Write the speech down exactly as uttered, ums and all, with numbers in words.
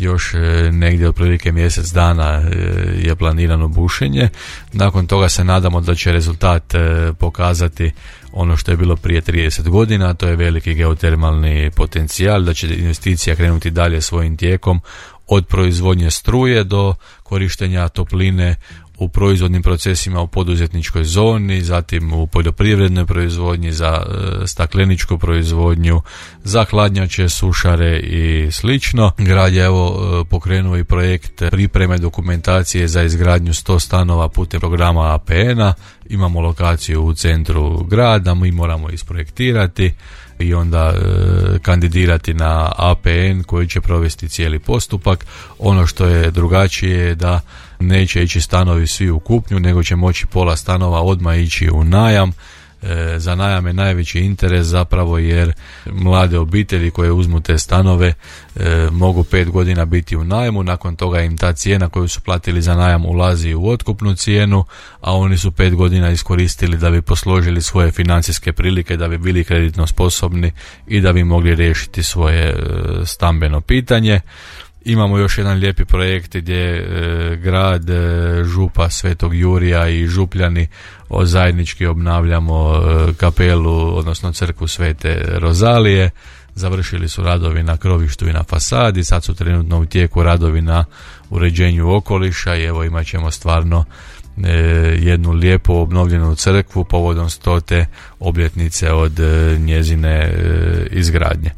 još negdje otprilike mjesec dana je planirano bušenje. Nakon toga se nadamo da će rezultat pokazati ono što je bilo prije trideset godina, to je veliki geotermalni potencijal, da će investicija krenuti dalje svojim tijekom od proizvodnje struje do korištenja topline u proizvodnim procesima u poduzetničkoj zoni, zatim u poljoprivrednoj proizvodnji, za e, stakleničku proizvodnju, za hladnjače, sušare i slično. Grad je evo e, pokrenuo i projekt pripreme dokumentacije za izgradnju sto stanova putem programa A P N-a. Imamo lokaciju u centru grada, mi moramo isprojektirati i onda e, kandidirati na A P N koji će provesti cijeli postupak. Ono što je drugačije je da neće ići stanovi svi u kupnju, nego će moći pola stanova odmah ići u najam. E, za najam je najveći interes zapravo, jer mlade obitelji koje uzmu te stanove e, mogu pet godina biti u najmu, nakon toga im ta cijena koju su platili za najam ulazi u otkupnu cijenu, a oni su pet godina iskoristili da bi posložili svoje financijske prilike, da bi bili kreditno sposobni i da bi mogli riješiti svoje e, stambeno pitanje. Imamo još jedan lijepi projekt gdje e, grad, e, župa Svetog Jurija i Župljani o, zajednički obnavljamo e, kapelu, odnosno crkvu Svete Rozalije. Završili su radovi na krovištu i na fasadi, sad su trenutno u tijeku radovi na uređenju okoliša i evo imat ćemo stvarno e, jednu lijepu obnovljenu crkvu povodom stote obljetnice od e, njezine e, izgradnje.